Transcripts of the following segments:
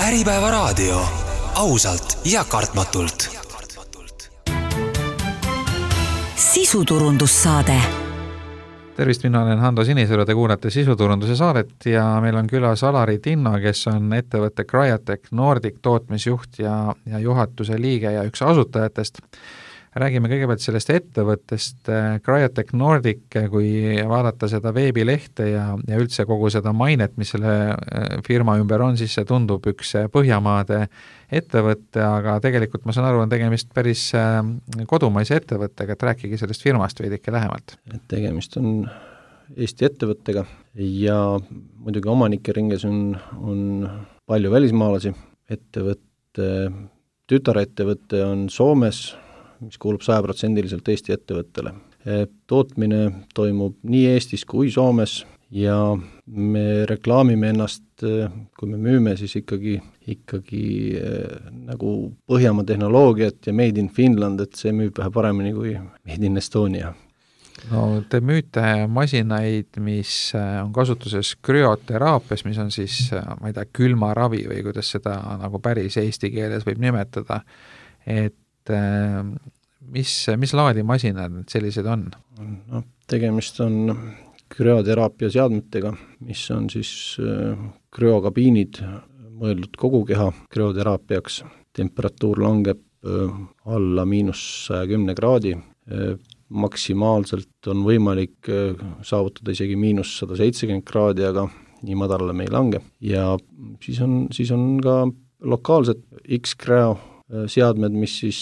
Äripäeva raadio. Ausalt ja kartmatult. Sisuturundussaade. Tervist, mina olen Hando Sinisalu, te kuulate Sisuturunduse saadet ja meil on külas Alari Tinno, kes on ettevõtte Cryotech Nordic tootmisjuht ja juhatuse liige ja üks asutajatest. Räägime kõigepealt sellest ettevõttest Cryotech Nordic, kui vaadata seda veebilehte ja üldse kogu seda mainet, mis selle firma ümber on, siis see tundub üks Põhjamaade ettevõtte, aga tegelikult ma saan aru, on tegemist päris kodumaise ettevõttega, et rääkige sellest firmast veidike lähemalt. Tegemist on Eesti ettevõttega ja muidugi omanike ringes on palju välismaalasi. Tütarettevõtte on Soomes, mis kuulub 100% Eesti ettevõttele. Tootmine toimub nii Eestis kui Soomes ja me reklaamime ennast, kui me müüme, siis ikkagi nagu Põhjamaa tehnoloogiat ja Made in Finland, et see müüb vähe paremini kui Made in Estonia. No, te müüte masinaid, mis on kasutuses krüoteraapias, mis on siis, ma ei tea, külmaravi või kuidas seda nagu päris eesti keeles võib nimetada, et mis laadi masinad sellised on? No, tegemist on krüoteraapia seadmetega, mis on siis krüokabiinid mõeldud kogu keha krüoteraapiaks. Temperatuur langeb alla -110 kraadi. Maksimaalselt on võimalik saavutada isegi -170 kraadi, aga nii madalale me ei lange. Ja siis on ka lokaalsed X-Cryo seadmed, mis siis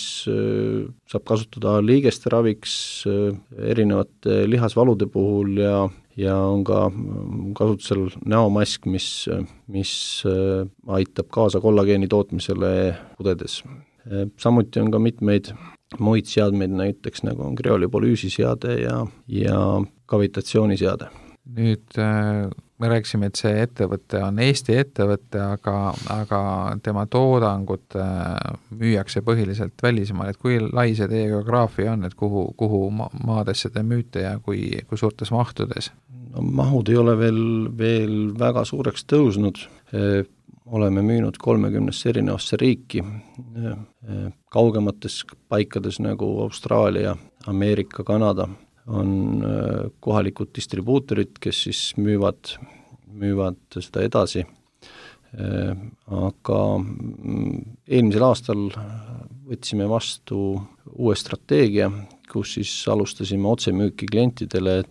saab kasutada liigeste raviks erinevate lihasvalude puhul ja on ka kasutusel näomask, mis aitab kaasa kollageeni tootmisele kudedes. Samuti on ka mitmeid muid seadmeid, näiteks nagu on kriolipolüüsiseade ja kavitatsiooniseade. Nüüd me rääkisime, et see ettevõte on Eesti ettevõte, aga tema toodangut müüakse põhiliselt välismaal, et kui lai see teie geograafia on, et kuhu maadesse te müüte ja kui suurtes mahtudes? No, mahud ei ole veel väga suureks tõusnud. Oleme müünud 30 erinevasse riiki, kaugemates paikades nagu Austraalia, Ameerika, Kanada on kohalikud distribuutorid, kes siis müüvad seda edasi. Aga eelmisel aastal võtsime vastu uue strateegia, kus siis alustasime otsemüüki klientidele,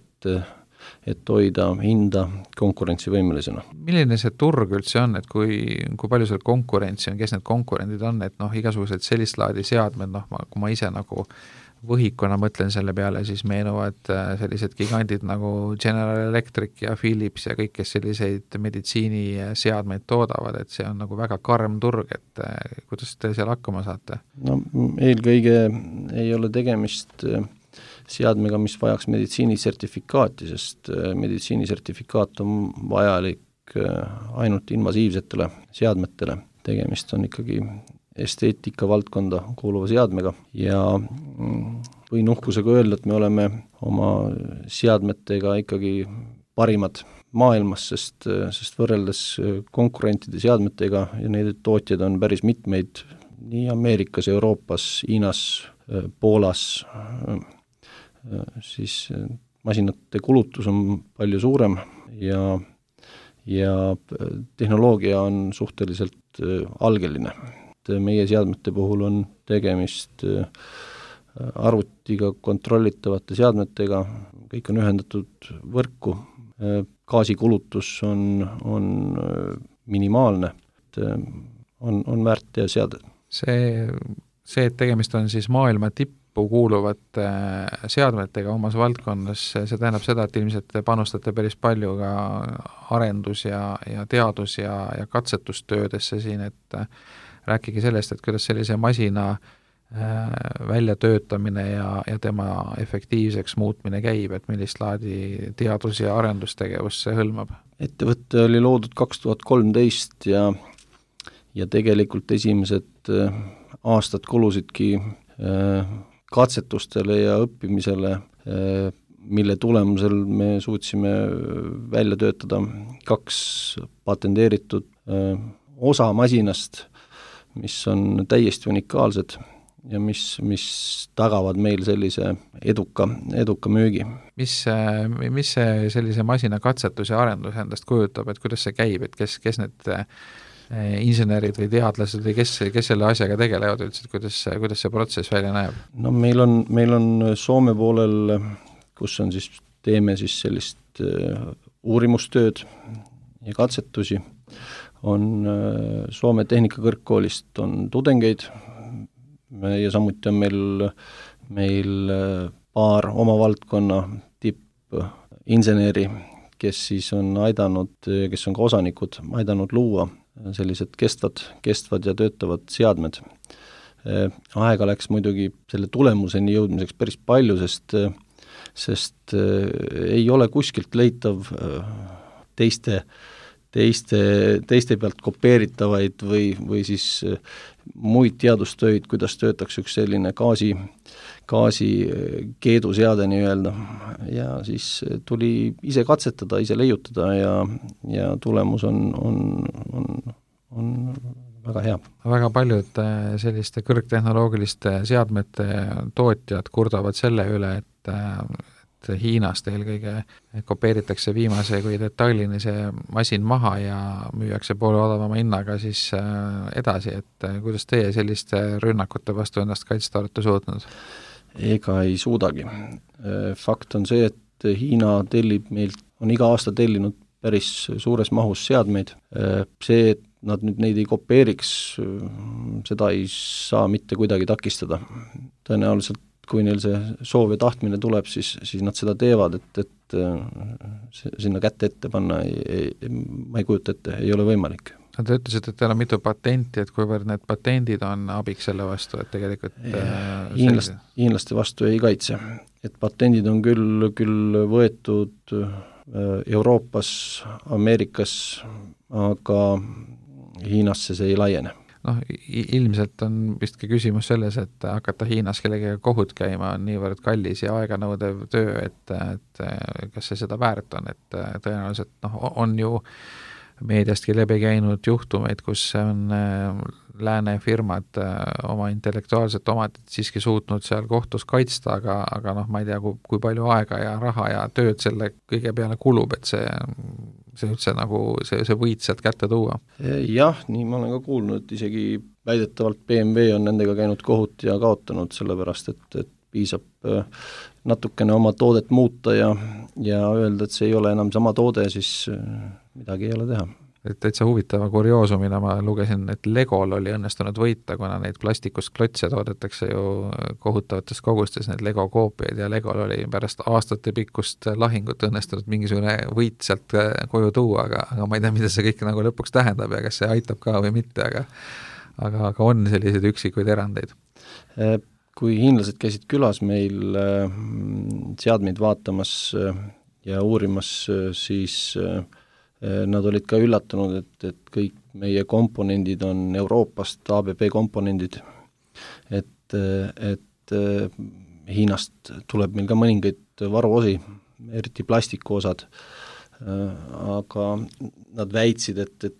et hoida hinda konkurentsivõimelisena. Milline see turg üldse on, et kui palju seal konkurentsi on, kes need konkurendid on, et igasugused sellist laadi seadmed, kui ma ise nagu võhikuna mõtlen selle peale, siis meenuvad sellised gigandid nagu General Electric ja Philips ja kõik, kes selliseid meditsiiniseadmeid toodavad, et see on nagu väga karm turg, et kuidas te seal hakkama saate? No, eelkõige ei ole tegemist seadmega, mis vajaks meditsiinisertifikaati, sest meditsiinisertifikaat on vajalik ainult invasiivsetele seadmetele. Tegemist on ikkagi esteetika valdkonda kuuluva seadmega ja võin uhkusega öelda, et me oleme oma seadmetega ikkagi parimad maailmas, sest võrreldes konkurentide seadmetega ja neid tootjaid on päris mitmeid nii Ameerikas, Euroopas, Hiinas, Poolas, siis masinate kulutus on palju suurem ja tehnoloogia on suhteliselt algeline. Meie seadmete puhul on tegemist arvutiga kontrollitavate seadmetega, kõik on ühendatud võrku, gaasikulutus on minimaalne, on väärt ja seade. See, et tegemist on siis maailma tippu kuuluvate seadmetega omas valdkonnas, see tähendab seda, et ilmselt te panustate päris palju ka arendus ja teadus ja katsetustöödesse siin, et rääkige sellest, et kuidas sellise masina väljatöötamine ja tema efektiivseks muutmine käib, et millist laadi teadus- ja arendustegevus see hõlmab? Ettevõte oli loodud 2013 ja tegelikult esimesed aastad kulusidki katsetustele ja õppimisele, mille tulemusel me suutsime välja töötada 2 patenteeritud osa masinast, mis on täiesti unikaalsed ja mis tagavad meil sellise eduka müügi. Mis see sellise masina katsetus ja arendus endast kujutab, et kuidas see käib, et kes need insenerid või teadlased või kes selle asjaga tegelevad üldse, kuidas see protsess välja näeb? No meil on Soome poolel, kus on siis, teeme siis sellist uurimustööd ja katsetusi, on Soome Tehnikakõrgkoolist on tudengeid ja samuti on meil paar oma valdkonna tippinseneri, kes siis on aidanud, kes on ka osanikud, aidanud luua sellised kestvad ja töötavad seadmed. Aega läks muidugi selle tulemuseni jõudmiseks päris palju, sest ei ole kuskilt leitav teiste pealt kopeeritavaid või siis muid teadustöid, kuidas töötaks üks selline gaasi keeduseade nii-öelda, ja siis tuli ise katsetada, ise leiutada ja tulemus on väga hea. Väga paljud selliste kõrgtehnoloogiliste seadmete tootjad kurdavad selle üle, et Hiinast eelkõige kopeeritakse viimase kui detailini see masin maha ja müüakse poole odavama hinnaga siis edasi, et kuidas teie selliste rünnakute vastu ennast kaitsta olete suutnud? Ega ei suudagi. Fakt on see, et Hiina tellib meilt, on iga aasta tellinud päris suures mahus seadmeid. See, et nad nüüd neid ei kopeeriks, seda ei saa mitte kuidagi takistada. Tõenäoliselt kui neil see soov ja tahtmine tuleb, siis nad seda teevad, et sinna kätte ette panna ma ei kujuta ette, ei ole võimalik. Te ütlesite, et teil on mitu patenti, et kuivõrd need patendid on abiks selle vastu, et tegelikult hiinlaste vastu ei kaitse. Et patendid on küll võetud Euroopas, Ameerikas, aga Hiinasse see ei laiene. Ilmselt on vistki küsimus selles, et hakata Hiinas kellegagi kohut käima on niivõrd kallis ja aeganõudev töö, et kas see seda väärt on, et tõenäoliselt on ju meediastki läbi käinud juhtumeid, kus on lääne firmad oma intellektuaalset omatit siiski suutnud seal kohtus kaitsta, aga ma ei tea, kui palju aega ja raha ja tööd selle kõige peale kulub, et see üldse nagu see võit sealt kätte tuua. Jah, nii ma olen ka kuulnud, et isegi väidetavalt BMW on nendega käinud kohut ja kaotanud, sellepärast et piisab natukene oma toodet muuta ja öelda, et see ei ole enam sama toode, siis midagi ei ole teha. Et täitsa huvitava kurioosumina ma lugesin, et Legol oli õnnestunud võita, kuna neid plastikust klotse toodetakse ju kohutavates kogustes, need Lego koopiaid, ja Legol oli pärast aastate pikkust lahingut õnnestunud mingisugune võit sealt koju tuua, aga ma ei tea, mida see kõik nagu lõpuks tähendab ja kas see aitab ka või mitte, aga on selliseid üksikuid erandeid. Kui hiinlased käisid külas meil seadmeid vaatamas ja uurimas, siis nad olid ka üllatunud, et kõik meie komponendid on Euroopast, ABB komponendid, et Hiinast tuleb meil ka mõningaid varuosi, eriti plastikuosad, aga nad väitsid, et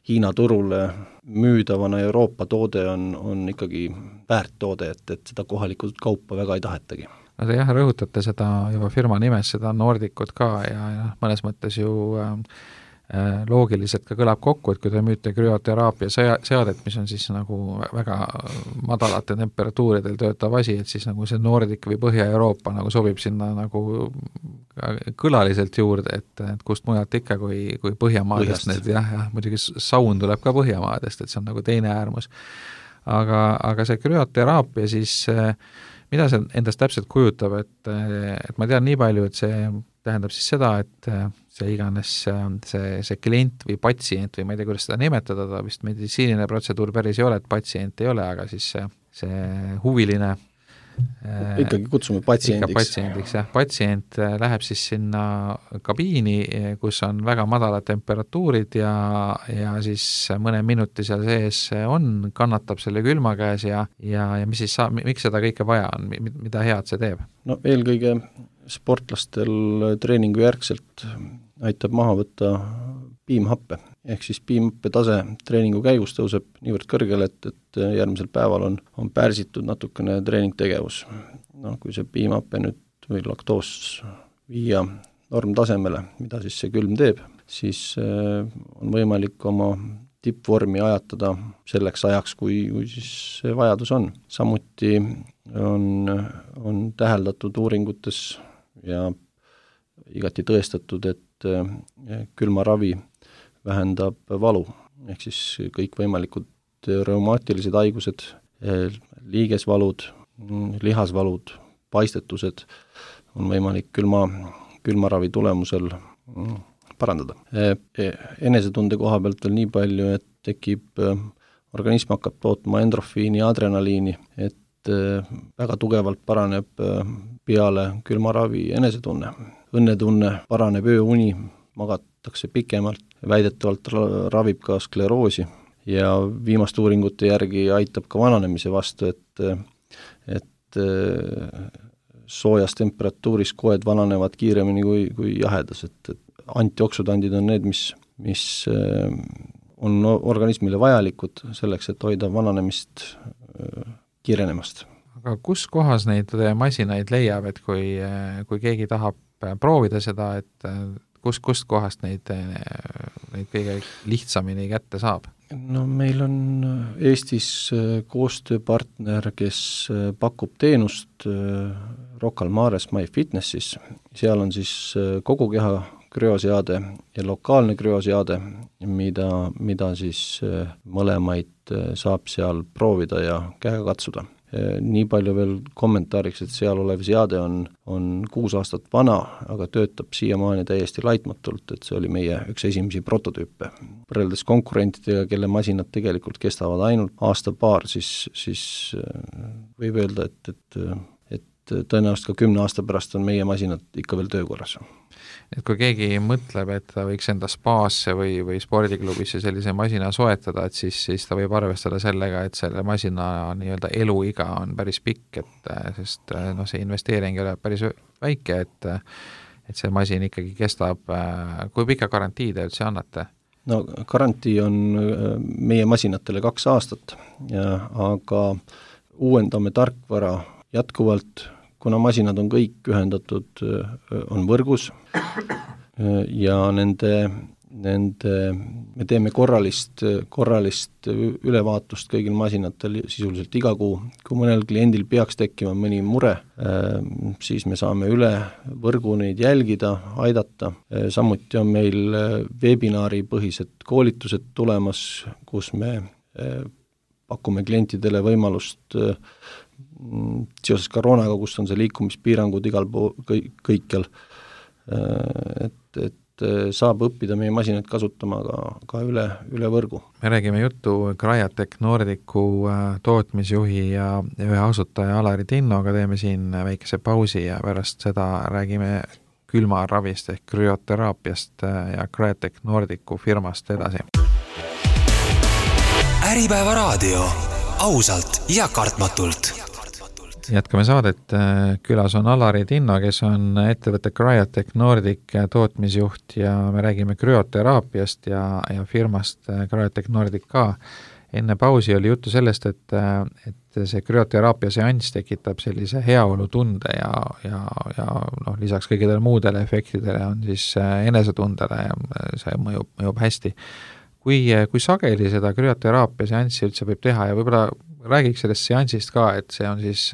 Hiina turule müüdavana Euroopa toode on ikkagi väärt toode, et seda kohalikult kaupa väga ei tahetagi. No te jah, rõhutate seda juba firma nimes, seda Nordicut ka ja mõnes mõttes ju loogiliselt ka kõlab kokku, et kui te müüte krüoteraapia seadet, mis on siis nagu väga madalate temperatuuridel töötav asi, et siis nagu see Nordic või Põhja-Euroopa nagu sobib sinna nagu kõlaliselt juurde, et kust mujalt ikka kui Põhjamaadest need, jah, muidugi saun tuleb ka Põhjamaadest, et see on nagu teine äärmus. Aga see krüoteraapia siis mida see endast täpselt kujutab, et ma tean nii palju, et see tähendab siis seda, et see iganes see klient või patsient või ma ei tea, kuidas seda nimetada, ta vist meditsiiniline protseduur päris ei ole, et patsient ei ole, aga siis see huviline ikkagi kutsume patsiendiks, jah. Patsient läheb siis sinna kabiini, kus on väga madalad temperatuurid ja siis mõne minuti seal sees kannatab selle külma käes ja mis siis miks seda kõike vaja on, mida head see teeb? No eelkõige sportlastel treeningu järgselt aitab maha võtta piimhappe ehk siis piimõppe tase treeningu käigus tõuseb niivõrd kõrgele, et järgmisel päeval on pärsitud natukene treeningtegevus. No, kui see piimhappe nüüd või laktoos viia normtasemele, mida siis see külm teeb, siis on võimalik oma tippvormi ajatada selleks ajaks, kui siis see vajadus on. Samuti on täheldatud uuringutes ja igati tõestatud, et külmaravi vähendab valu, ehk siis kõikvõimalikud reumaatilised haigused, liigesvalud, lihasvalud, paistetused on võimalik külmaravi tulemusel parandada. Enesetunde koha pealt veel nii palju, et tekib, organism hakkab tootma endorfiini ja adrenaliini, et väga tugevalt paraneb peale külmaravi enesetunne. Õnnetunne paraneb, ööuni, magatakse pikemalt, väidetavalt ravib ka skleroosi ja viimaste uuringute järgi aitab ka vananemise vastu, et soojas temperatuuris koed vananevad kiiremini kui jahedas, et antioksüdandid on need, mis on organismile vajalikud selleks, et hoida vananemist kiirenemast. Aga kus kohas neid masinaid leiab, et kui keegi tahab proovida seda, et kust kohast neid kõige lihtsamini kätte saab? No meil on Eestis koostööpartner, kes pakub teenust Rocca al Mares MyFitnessis. Seal on siis kogu keha krüoseade ja lokaalne krüoseade, mida siis mõlemaid saab seal proovida ja käega katsuda. Nii palju veel kommentaariks, et seal olev seade on 6 aastat vana, aga töötab siiamaani täiesti laitmatult, et see oli meie üks esimesi prototüüpe. Võrreldes konkurentidega, kelle masinad tegelikult kestavad ainult aasta-paar, siis võib öelda, et tõenäoliselt ka 10 aasta pärast on meie masinad ikka veel töökorras. Et kui keegi mõtleb, et ta võiks enda spaasse või spordiklubisse sellise masina soetada, et siis ta võib arvestada sellega, et selle masina nii-öelda eluiga on päris pikk, sest see investeering ei ole päris väike, et see masin ikkagi kestab, kui pika garantii te üldse annate? No garantii on meie masinatele 2 aastat, aga uuendame tarkvara jätkuvalt, kuna masinad on kõik ühendatud, on võrgus ja me teeme korralist ülevaatust kõigil masinatel sisuliselt iga kuu. Kui mõnel kliendil peaks tekkima mõni mure, siis me saame üle võrgu neid jälgida, aidata. Samuti on meil webinaari põhised koolitused tulemas, kus me pakume klientidele võimalust seoses koroonaga, kus on see liikumispiirangud igal pool, kõikjal, et saab õppida meie masinaid kasutama ka üle võrgu. Me räägime juttu Cryotek Nordicu tootmisjuhi ja ühe asutaja Alari Tinnoga, teeme siin väikese pausi ja pärast seda räägime külmaravist ehk krüoteraapiast ja Cryotek Nordicu firmast edasi. Äripäeva raadio, ausalt ja kartmatult. Jätkame saadet, külas on Alari Tinno, kes on ettevõtte Cryotek Nordic tootmisjuht ja me räägime krüoteraapiast ja firmast Cryotek Nordic ka. Enne pausi oli juttu sellest, et see krüoteraapia seanss tekitab sellise heaolutunde ja lisaks kõigidele muudele efektidele on siis enesetundele ja see mõjub hästi. Kui sageli seda krüoteraapia seanssi üldse võib teha ja võib-olla räägiks sellest seansist ka, et see on siis,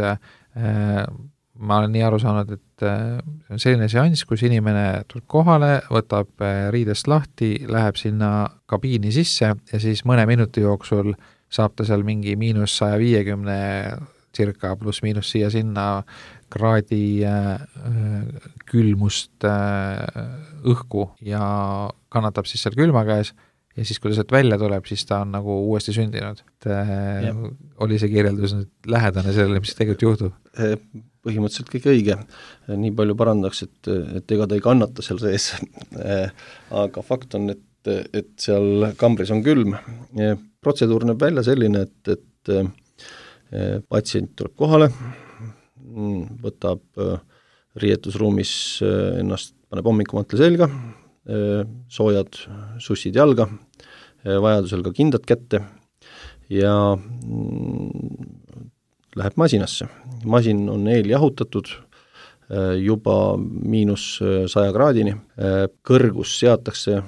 ma olen nii aru saanud, et see on selline seanss, kus inimene tuleb kohale, võtab riidest lahti, läheb sinna kabiini sisse ja siis mõne minuti jooksul saab ta seal mingi -150 circa pluss miinus siia sinna kraadi külmust õhku ja kannatab siis seal külma käes. Ja siis, kui ta sealt välja tuleb, siis ta on nagu uuesti sündinud. Oli see kirjeldus nüüd lähedane sellele, mis tegelikult juhtub? Põhimõtteliselt kõik õige. Nii palju parandaks, et ega ta ei kannata seal sees. Aga fakt on, et seal kambris on külm. Protseduur näeb välja selline, et patsient tuleb kohale, võtab riietusruumis ennast, paneb hommikumantle selga, soojad sussid jalga, vajadusel ka kindad kätte ja läheb masinasse. Masin on eeljahutatud juba -100 kraadini, kõrgus seatakse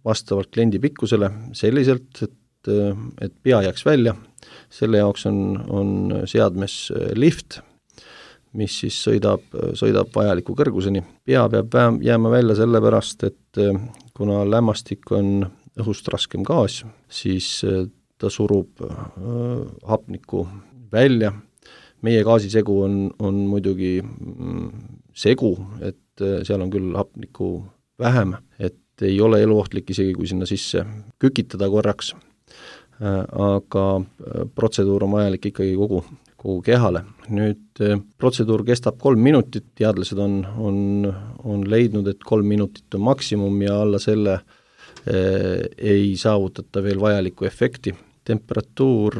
vastavalt kliendi pikkusele selliselt, et pea jääks välja, selle jaoks on seadmes lift, mis siis sõidab vajaliku kõrguseni. Pea peab jääma välja sellepärast, et kuna lämmastik on õhust raskem gaas, siis ta surub hapnikku välja. Meie gaasisegu on muidugi segu, et seal on küll hapnikku vähem, et ei ole eluohtlik isegi, kui sinna sisse kükitada korraks, aga protseduur on vajalik ikkagi kogu kehale. Nüüd protseduur kestab 3 minutit, teadlased on leidnud, et 3 minutit on maksimum ja alla selle ei saavutata veel vajalikku efekti. Temperatuur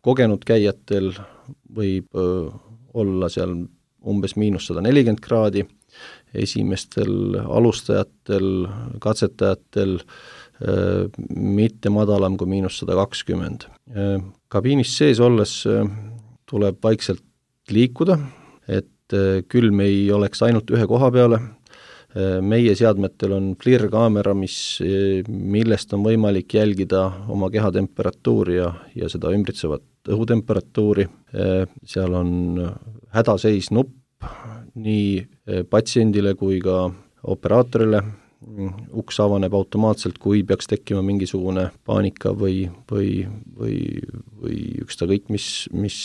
kogenud käijatel võib olla seal umbes -140 kraadi, esimestel alustajatel, katsetajatel mitte madalam kui -120. Kabiinis sees olles tuleb vaikselt liikuda, et külm ei oleks ainult ühe koha peale. Meie seadmetel on FLIR-kaamera, millest on võimalik jälgida oma keha temperatuuri ja seda ümbritsevat õhutemperatuuri. Seal on hädaseis nupp nii patsiendile kui ka operaatorile. Uks avaneb automaatselt, kui peaks tekkima mingisugune paanika või ükskõik mis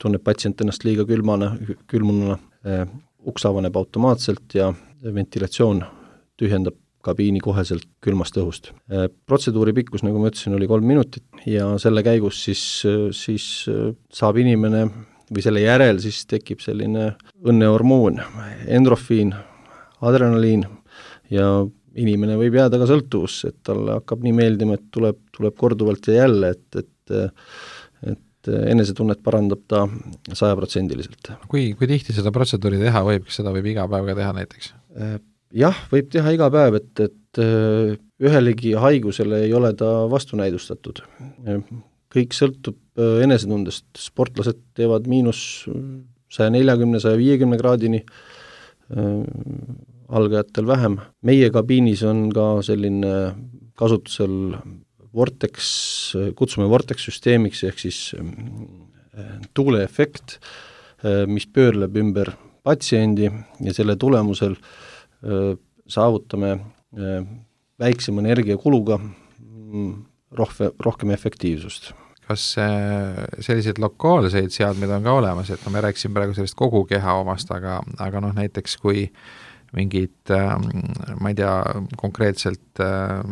tunneb patsient ennast liiga külmununa. Uks avaneb automaatselt ja ventilatsioon tühjendab kabiini koheselt külmast õhust. Protseduuri pikkus, nagu ma ütlesin, oli 3 minutit ja selle käigus siis saab inimene või selle järel siis tekib selline õnnehormoon, endorfiin, adrenaliin ja inimene võib jääda ka sõltuvusse, et talle hakkab nii meeldima, et tuleb korduvalt ja jälle, et enesetunnet parandab ta 100%. Kui tihti seda protseduuri teha võib, kas seda võib iga päev ka teha näiteks? Jah, võib teha iga päev, et ühelegi haigusele ei ole ta vastunäidustatud. Kõik sõltub enesetundest, sportlased teevad -140–150 kraadini, algajatel vähem. Meie kabiinis on ka selline kasutusel Vortex, kutsume Vortex-süsteemiks ehk siis tuuleefekt, mis pöörleb ümber patsiendi ja selle tulemusel saavutame väiksema energiakuluga rohkem efektiivsust. Kas selliseid lokaalseid seadmeid on ka olemas, et me rääkisime praegu sellest kogu keha omast, aga näiteks kui mingid, ma ei tea, konkreetselt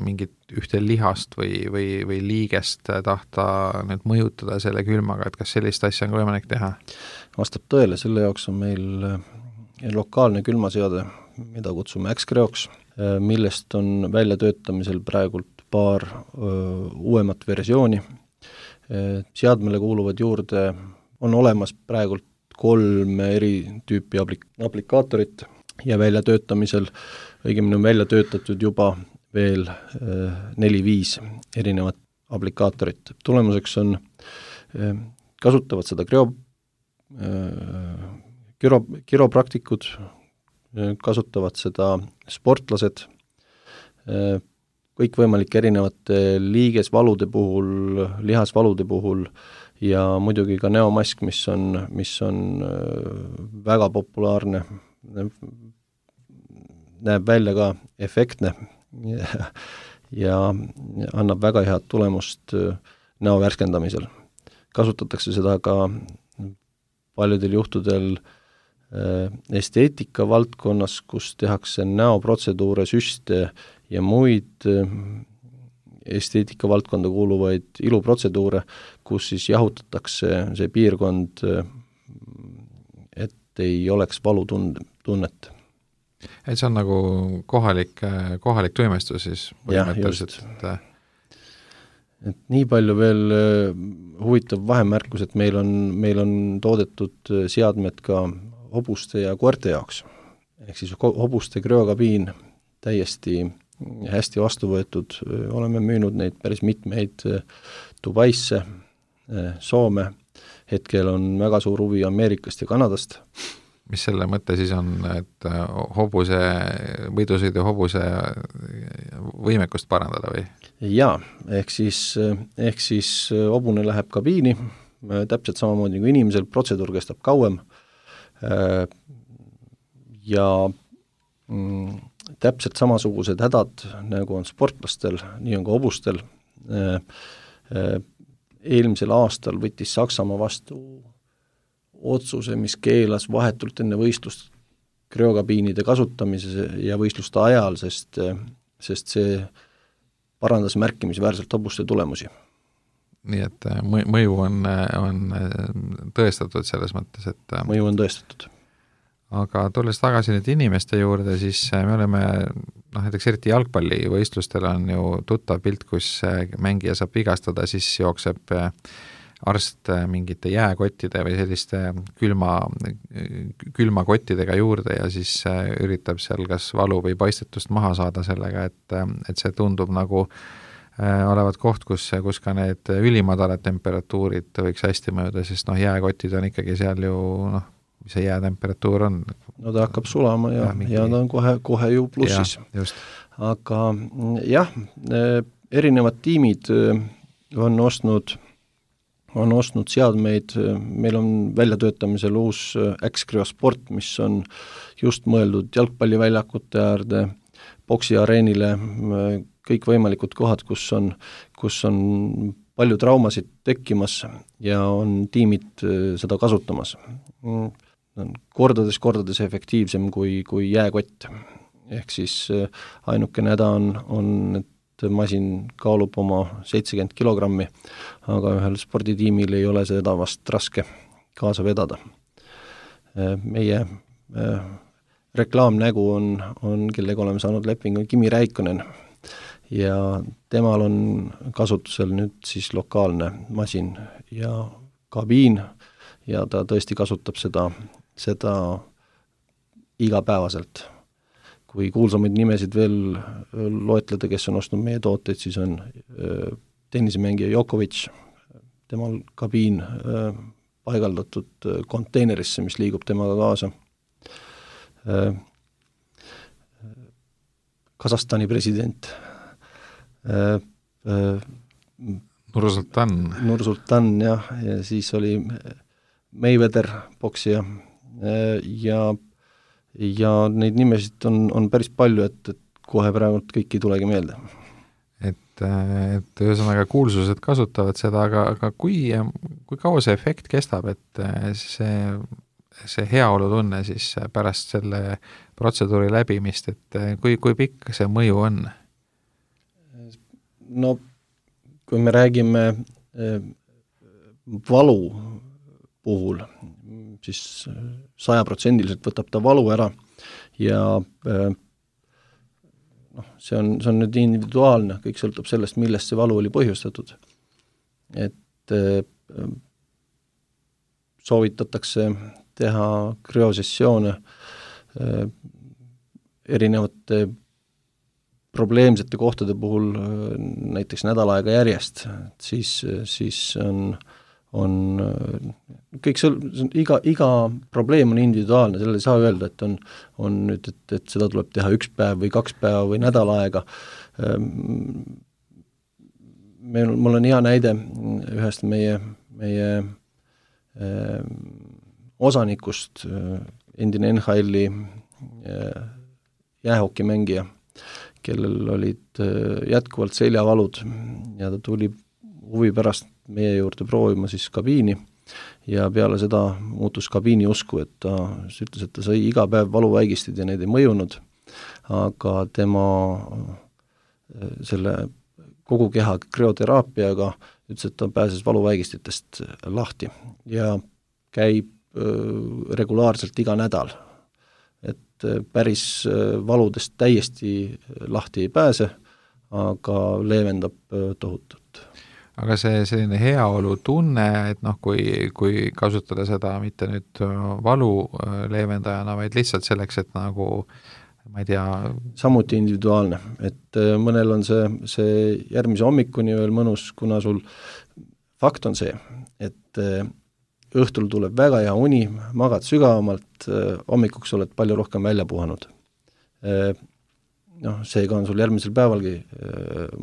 mingit ühte lihast või liigest tahta nüüd mõjutada selle külmaga, et kas sellist asja on ka võimalik teha? Vastab tõele, selle jaoks on meil lokaalne külmaseade, mida kutsume X-Creoks, millest on väljatöötamisel praegult paar uuemat versiooni. Seadmele kuuluvad juurde, on olemas praegult 3 eri tüüpi aplikaatorit ja väljatöötamisel, õigemini on välja töötatud juba veel 4-5 erinevat aplikaatorit. Tulemuseks on, kasutavad seda kiropraktikud, kasutavad seda sportlased, kõikvõimalike erinevate liigesvalude puhul, lihasvalude puhul ja muidugi ka näomask, mis on väga populaarne, näeb välja ka efektne ja annab väga head tulemust näo värskendamisel. Kasutatakse seda ka paljudel juhtudel esteetika valdkonnas, kus tehakse näoprotseduure, süste ja muid esteetika valdkonda kuuluvaid iluprotseduure, kus siis jahutatakse see piirkond, et ei oleks valutunnet. Et see on nagu kohalik tuimestus siis põhimõtteliselt? Et nii palju veel huvitav vahemärkus, et meil on toodetud seadmed ka hobuste ja koerte jaoks. Ehk siis hobuste krüokabiin täiesti hästi vastu võetud, oleme müünud neid päris mitmeid Dubaisse, Soome, hetkel on väga suur huvi Ameerikast ja Kanadast. Mis selle mõte siis on, et võidusõidu hobuse võimekust parandada või? Jaa, ehk siis hobune läheb kabiini, täpselt samamoodi kui inimesel, protseduur kestab kauem ja täpselt samasugused hädad, nagu on sportlastel, nii on ka hobustel. Eelmisel aastal võttis Saksamaa vastu otsuse, mis keelas vahetult enne võistlust krüokabiinide kasutamise ja võistluste ajal, sest see parandas märkimisväärselt hobuste tulemusi. Nii et mõju on tõestatud selles mõttes, et mõju on tõestatud. Aga tulles tagasi nüüd inimeste juurde, siis me oleme, näiteks eriti jalgpallivõistlustel on ju tuttav pilt, kus mängija saab vigastada, siis jookseb arst mingite jääkottide või selliste külmakottidega juurde ja siis üritab seal kas valu või paistetust maha saada sellega, et see tundub nagu olevat koht, kus ka need ülimadalad temperatuurid võiks hästi mõjuda, sest jääkotid on ikkagi seal ju, mis see jäätemperatuur on? No ta hakkab sulama ja ta on kohe ju plussis. Aga jah, erinevad tiimid on ostnud seadmeid, meil on väljatöötamisel uus X-Cryo Sport, mis on just mõeldud jalgpalliväljakute äärde, boksiareenile, kõik võimalikud kohad, kus on palju traumasid tekkimas ja on tiimid seda kasutamas. Kordades efektiivsem kui jääkott. Ehk siis ainukene häda on, et masin kaalub oma 70 kilogrammi, aga ühel sporditiimil ei ole seda vast raske kaasa vedada. Meie reklaamnägu on kellega oleme saanud lepingu Kimi Räikkönen ja temal on kasutusel nüüd siis lokaalne masin ja kabiin ja ta tõesti kasutab seda igapäevaselt. Kui kuulsamaid nimesid veel loetleda, kes on ostnud meie tooteid, siis on tennisemängija Djokovic, temal kabiin paigaldatud konteinerisse, mis liigub temaga kaasa. Kasahstani president Nursultan, jah, ja siis oli Mayweather, poksija ja neid nimesid on päris palju, et kohe praegu kõik ei tulegi meelde. Et ühesõnaga kuulsused kasutavad seda, aga kui kaua see efekt kestab, et see heaolutunne siis pärast selle protseduuri läbimist, et kui pikk see mõju on? No kui me räägime valu puhul, siis 100% võtab ta valu ära ja see on nüüd individuaalne, kõik sõltub sellest, millest see valu oli põhjustatud. Et soovitatakse teha krüosessioone erinevate probleemsete kohtade puhul näiteks nädal aega järjest, siis on kõik iga probleem on individuaalne, selle ei saa öelda, et on nüüd, et seda tuleb teha 1 päev või 2 päeva või nädal aega. Mul on hea näide ühest meie osanikust, endine NHL-i jäähokimängija, kellel olid jätkuvalt seljavalud ja ta tuli huvi pärast meie juurde proovima siis kabiini ja peale seda muutus kabiini usku, et ta ütles, et ta sai iga päev valuväigistid ja need ei mõjunud, aga tema selle kogu keha krüoteraapiaga ütles, et ta pääses valuväigistitest lahti ja käib regulaarselt iga nädal. Et päris valudest täiesti lahti ei pääse, aga leevendab tohutult. Aga see selline heaolu tunne, et kui kasutada seda mitte nüüd valu leevendajana, vaid lihtsalt selleks, et nagu ma ei tea. Samuti individuaalne, et mõnel on see järgmise hommikuni veel mõnus, kuna sul fakt on see, et õhtul tuleb väga hea uni, magad sügavamalt, hommikuks oled palju rohkem välja puhanud. Seega on sul järgmisel päevalgi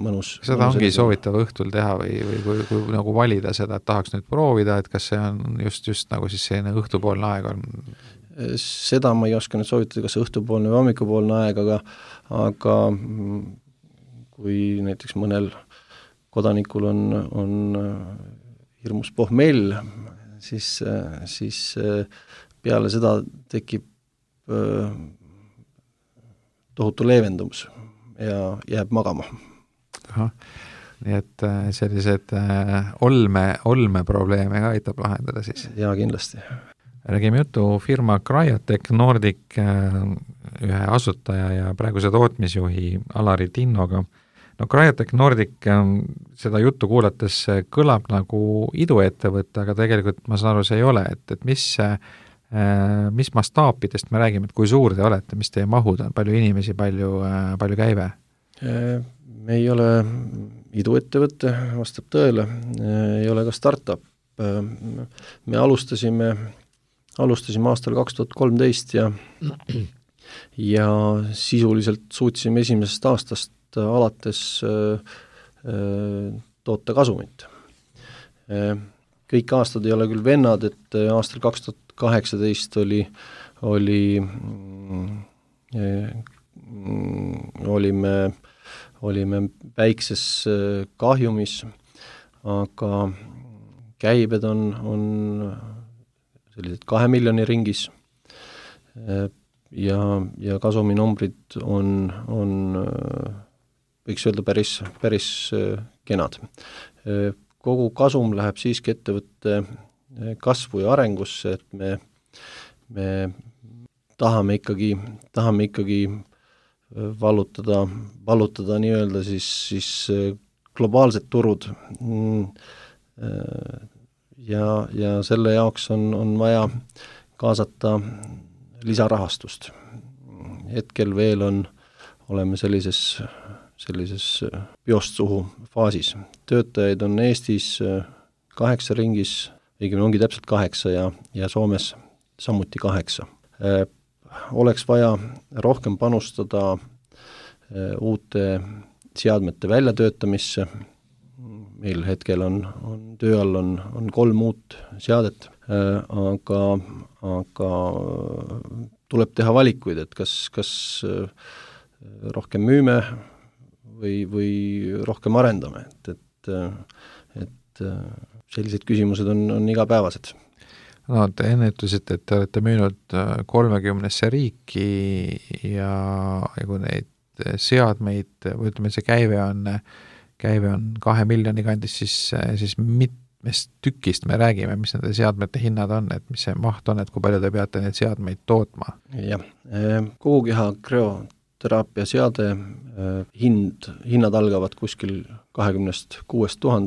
mõnus. Seda ongi soovitav õhtul teha või kui nagu valida seda, et tahaks nüüd proovida, et kas see on just nagu siis selline õhtupoolne aeg on? Seda ma ei oska nüüd soovitada, kas õhtupoolne või hommikupoolne aeg, aga kui näiteks mõnel kodanikul on hirmus pohmell, siis peale seda tekib tohutu leevendumus ja jääb magama. Nii et sellised olmeprobleeme ka aitab lahendada siis? Jaa, kindlasti. Räägime juttu firma Cryotech Nordic ühe asutaja ja praeguse tootmisjuhi Alari Tinnoga. Cryotech Nordic seda juttu kuulates kõlab nagu iduettevõte, aga tegelikult ma saan aru, see ei ole, et mis mastaapidest me räägime, et kui suur te olete, mis teie mahud on, palju inimesi, palju käive? Me ei ole iduettevõte, vastab tõele, ei ole ka startup. Me alustasime aastal 2013 ja sisuliselt suutsime esimesest aastast alates toota kasumit. Kõik aastad ei ole küll vennad, et aastal 2018 olime väikses kahjumis, aga käibed on sellised 2 miljoni ringis ja kasuminumbrid on võiks öelda päris kenad. Kogu kasum läheb siiski ettevõtte kasvu ja arengusse, et me tahame ikkagi vallutada nii-öelda siis globaalsed turud ja selle jaoks on vaja kaasata lisarahastust. Hetkel veel oleme sellises piost suhu faasis. Töötajaid on Eestis 8 ringis, õigemini ongi täpselt 8 ja Soomes samuti 8. Oleks vaja rohkem panustada uute seadmete väljatöötamisse. Meil hetkel on töö all on 3 uut seadet, aga tuleb teha valikuid, et kas rohkem müüme või rohkem arendame, et sellised küsimused on igapäevased. No, te enne ütlesite, et te olete müünud 30 riiki ja kui neid seadmeid, või ütleme, see käive on 2 miljoni kandis, siis mitmest tükist me räägime, mis nende seadmete hinnad on, et mis see maht on, et kui palju te peate neid seadmeid tootma? Jah, kogukeha krüoteraapia seade hinnad algavad kuskil 26 000,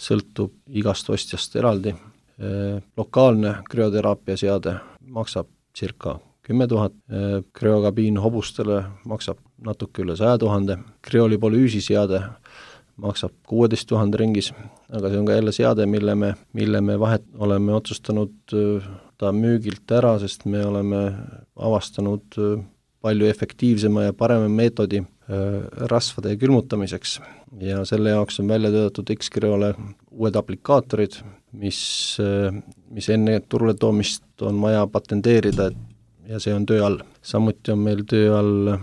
sõltub igast ostjast eraldi. Lokaalne krüoteraapia seade maksab circa 10 000, krüokabiin hobustele maksab natuke üle 100 000, krüolipolüüsi seade maksab 16 000 ringis, aga see on ka jälle seade, mille me vahet oleme otsustanud ta müügilt ära, sest me oleme avastanud palju efektiivsema ja parema meetodi rasvade külmutamiseks ja selle jaoks on välja töötatud X-Kryole uued aplikaatorid, mis enne turule toomist on vaja patenteerida ja see on töö all. Samuti on meil töö all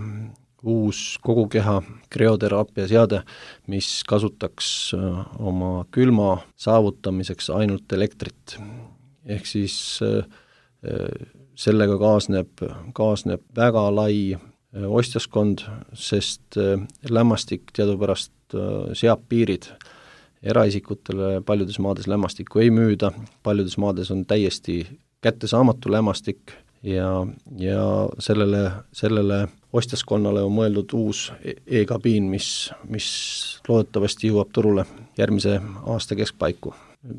uus kogukeha krüoteraapia seade, mis kasutaks oma külma saavutamiseks ainult elektrit. Ehk siis sellega kaasneb väga lai ostjaskond, sest lämmastik teadupärast seab piirid. Eraisikutele paljudes maades lämmastikku ei müüda, paljudes maades on täiesti kättesaamatu lämmastik ja sellele ostjaskonnale on mõeldud uus e-kabiin, mis loodetavasti jõuab turule järgmise aasta keskpaiku.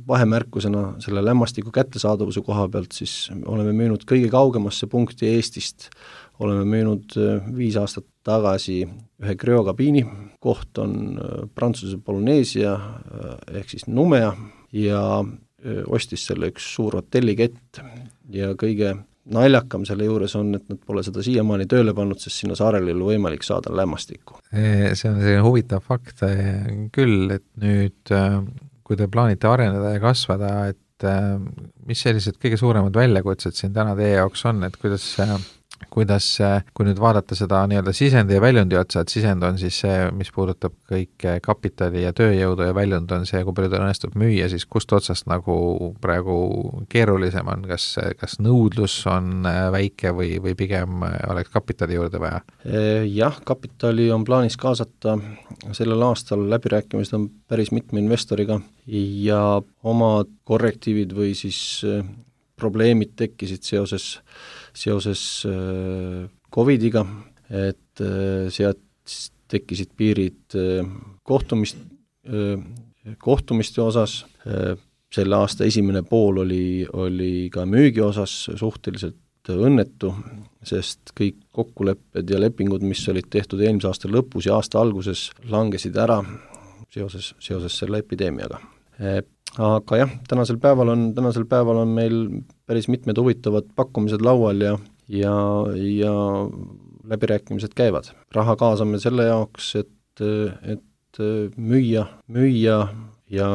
Vahemärkusena selle lämmastiku kättesaadavuse koha pealt siis oleme müünud kõige kaugemasse punkti Eestist, oleme müünud 5 aastat tagasi ühe krüokabiini, koht on Prantsuse Polüneesia ehk siis Numea ja ostis selle üks suur hotellikett ja kõige naljakam selle juures on, et nad pole seda siiamaani tööle pannud, sest sinna saarele ei ole võimalik saada lämmastikku. See on selline huvitav fakt küll, et nüüd kui te plaanite areneda ja kasvada, et mis sellised kõige suuremad väljakutsed siin täna teie jaoks on, et kuidas, kui nüüd vaadata seda nii-öelda sisendi ja väljundi otsa, et sisend on siis see, mis puudutab kõike kapitali ja tööjõudu ja väljund on see, kui palju ta õnnestub müüa, siis kust otsast nagu praegu keerulisem on, kas nõudlus on väike või pigem oleks kapitali juurde vaja? Jah, kapitali on plaanis kaasata sellel aastal, läbirääkimised on päris mitme investoriga ja omad korrektiivid või siis probleemid tekkisid seoses Covidiga, et sealt tekkisid piirid kohtumiste osas, selle aasta esimene pool oli ka müügi osas suhteliselt õnnetu, sest kõik kokkulepped ja lepingud, mis olid tehtud eelmise aasta lõpus ja aasta alguses, langesid ära seoses selle epideemiaga. Aga jah, tänasel päeval on meil päris mitmed huvitavad pakkumised laual ja läbirääkimised käivad. Raha kaasame selle jaoks, et müüa ja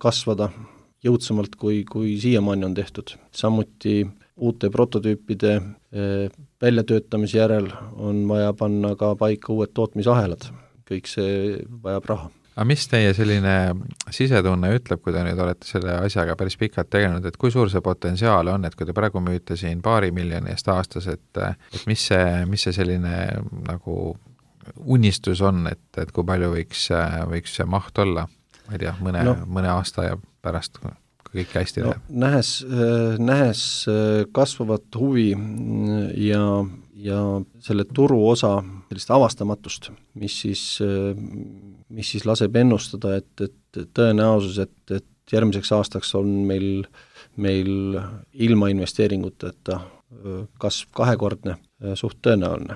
kasvada jõudsamalt, kui siiamaani on tehtud. Samuti uute prototüüpide väljatöötamise järel on vaja panna ka paika uued tootmisahelad. Kõik see vajab raha. Aga mis teie selline sisetunne ütleb, kui te nüüd olete selle asjaga päris pikalt tegelenud, et kui suur see potentsiaal on, et kui te praegu müüte siin 2 miljoni eest aastas, et mis see selline nagu unistus on, et kui palju võiks see maht olla, ma ei tea, mõne aasta ja pärast, kui kõik hästi läheb? Nähes kasvavat huvi ja selle turu osa sellist avastamatust, mis siis laseb ennustada, et tõenäosus, et järgmiseks aastaks on meil ilma investeeringuteta kasv 2-kordne, suht tõenäoline.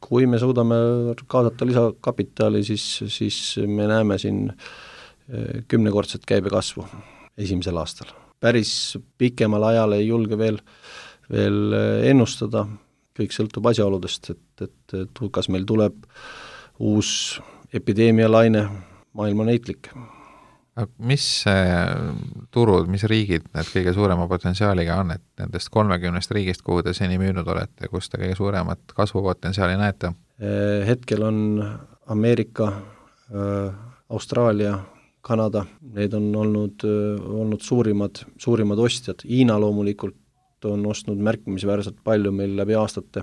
Kui me suudame kaasata lisakapitali, siis me näeme siin 10-kordset käibekasvu esimesel aastal. Päris pikemal ajal ei julge veel ennustada, kõik sõltub asjaoludest, et kas meil tuleb uus epideemialaine, maailma näitlik. Mis turud, mis riigid need kõige suurema potentsiaaliga on, et nendest 30 riigist, kuhu te seni müünud olete, kus te kõige suuremat kasvupotentsiaali näete? Hetkel on Ameerika, Austraalia, Kanada, need on olnud suurimad ostjad. Hiina loomulikult on ostnud märkimisväärselt palju meil läbi aastate.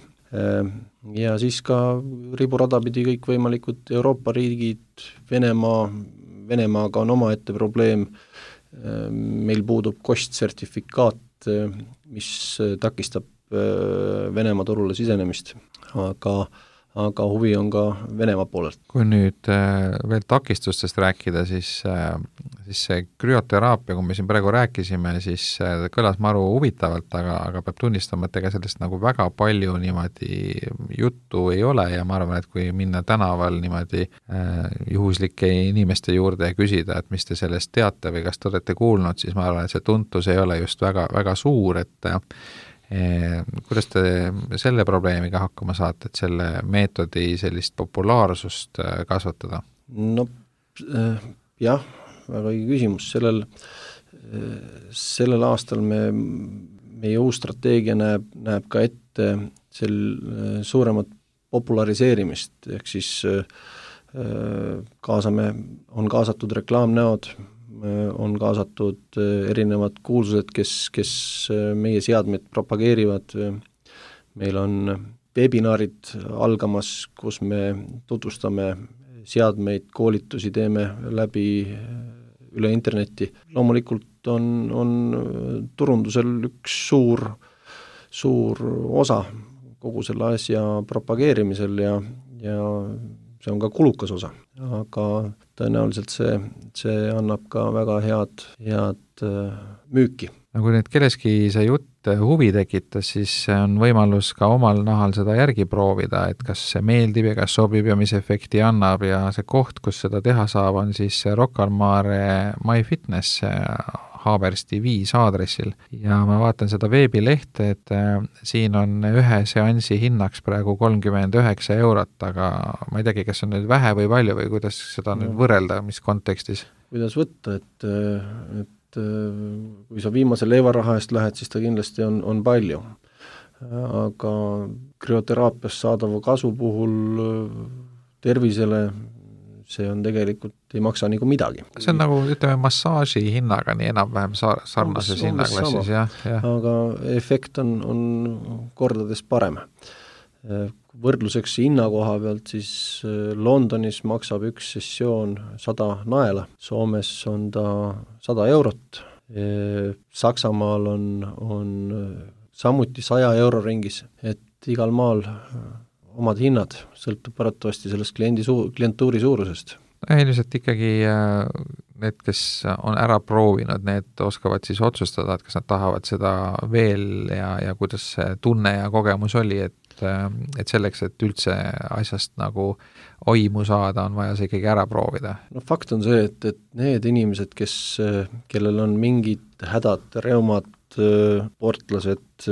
Ja siis ka riburadapidi kõik võimalikud Euroopa riigid, Venemaaga on omaette probleem, meil puudub kostsertifikaat, mis takistab Venemaa turule sisenemist, aga huvi on ka Venemaa poolelt. Kui nüüd veel takistustest rääkida, siis see krüoteraapia, kui me siin praegu rääkisime, siis kõlas maru huvitavalt, aga peab tunnistama, et ega sellest nagu väga palju niimoodi juttu ei ole ja ma arvan, et kui minna tänaval niimoodi juhuslike inimeste juurde ja küsida, et mis te sellest teate või kas te olete kuulnud, siis ma arvan, et see tuntus ei ole just väga, väga suur, et kuidas te selle probleemiga hakkama saate, et selle meetodi sellist populaarsust kasvatada? No jah, väga õige küsimus. Sellel aastal meie uus strateegia näeb ka ette suuremat populariseerimist, ehk siis on kaasatud reklaamnäod, on kaasatud erinevad kuulsused, kes meie seadmeid propageerivad. Meil on webinaarid algamas, kus me tutvustame seadmeid, koolitusi teeme läbi üle interneti. Loomulikult on turundusel üks suur osa kogu selle asja propageerimisel ja see on ka kulukas osa, aga tõenäoliselt see annab ka väga head müüki. No kui nüüd kelleski see jutt huvi tekitas, siis on võimalus ka omal nahal seda järgi proovida, et kas see meeldib ja kas sobib ja mis efekti annab ja see koht, kus seda teha saab, on siis Rocca al Mare MyFitness Haabersti 5 aadressil ja ma vaatan seda veebilehte, et siin on ühe seansi hinnaks praegu 39 €, aga ma ei teagi, kas on nüüd vähe või palju või kuidas seda nüüd võrrelda, mis kontekstis? Kuidas võtta, et kui sa viimase leivaraha eest lähed, siis ta kindlasti on palju. Aga krüoteraapias saadava kasu puhul tervisele see on tegelikult, ei maksa nagu midagi. See on nagu, ütleme, massaaži hinnaga nii enam-vähem sarnases hinnaklassis, jah. Aga efekt on kordades parem. Võrdluseks hinna koha pealt, siis Londonis maksab üks sessioon 100 naela, Soomes on ta 100 €, Saksamaal on samuti 100 € ringis, et igal maal omad hinnad, sõltub paratavasti sellest klientuuri suurusest. Ilmselt ikkagi need, kes on ära proovinud, need oskavad siis otsustada, et kas nad tahavad seda veel ja kuidas see tunne ja kogemus oli, et selleks, et üldse asjast nagu oimu saada, on vaja see ikkagi ära proovida. No fakt on see, et need inimesed, kellel on mingid hädad, reumad, sportlased,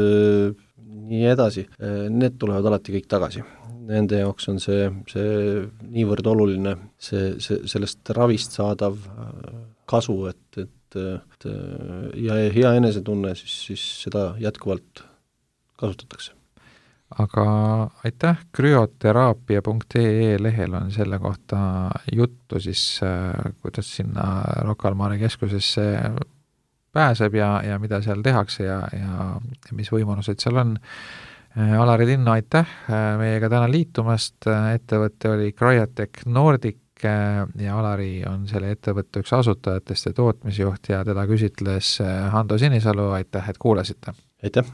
nii edasi, need tulevad alati kõik tagasi. Nende jaoks on see niivõrd oluline, sellest ravist saadav kasu, ja hea enesetunne, siis seda jätkuvalt kasutatakse. Aga aitäh, krüoteraapia.ee lehel on selle kohta juttu siis, kuidas sinna Rocca al Mare keskusesse pääseb ja mida seal tehakse ja mis võimalused seal on. Alari Tinno, aitäh meiega täna liitumast, ettevõte oli Cryotech Nordic ja Alari on selle ettevõtte üks asutajatest ja tootmisjuht ja teda küsitles Hando Sinisalu, aitäh, et kuulasite! Aitäh!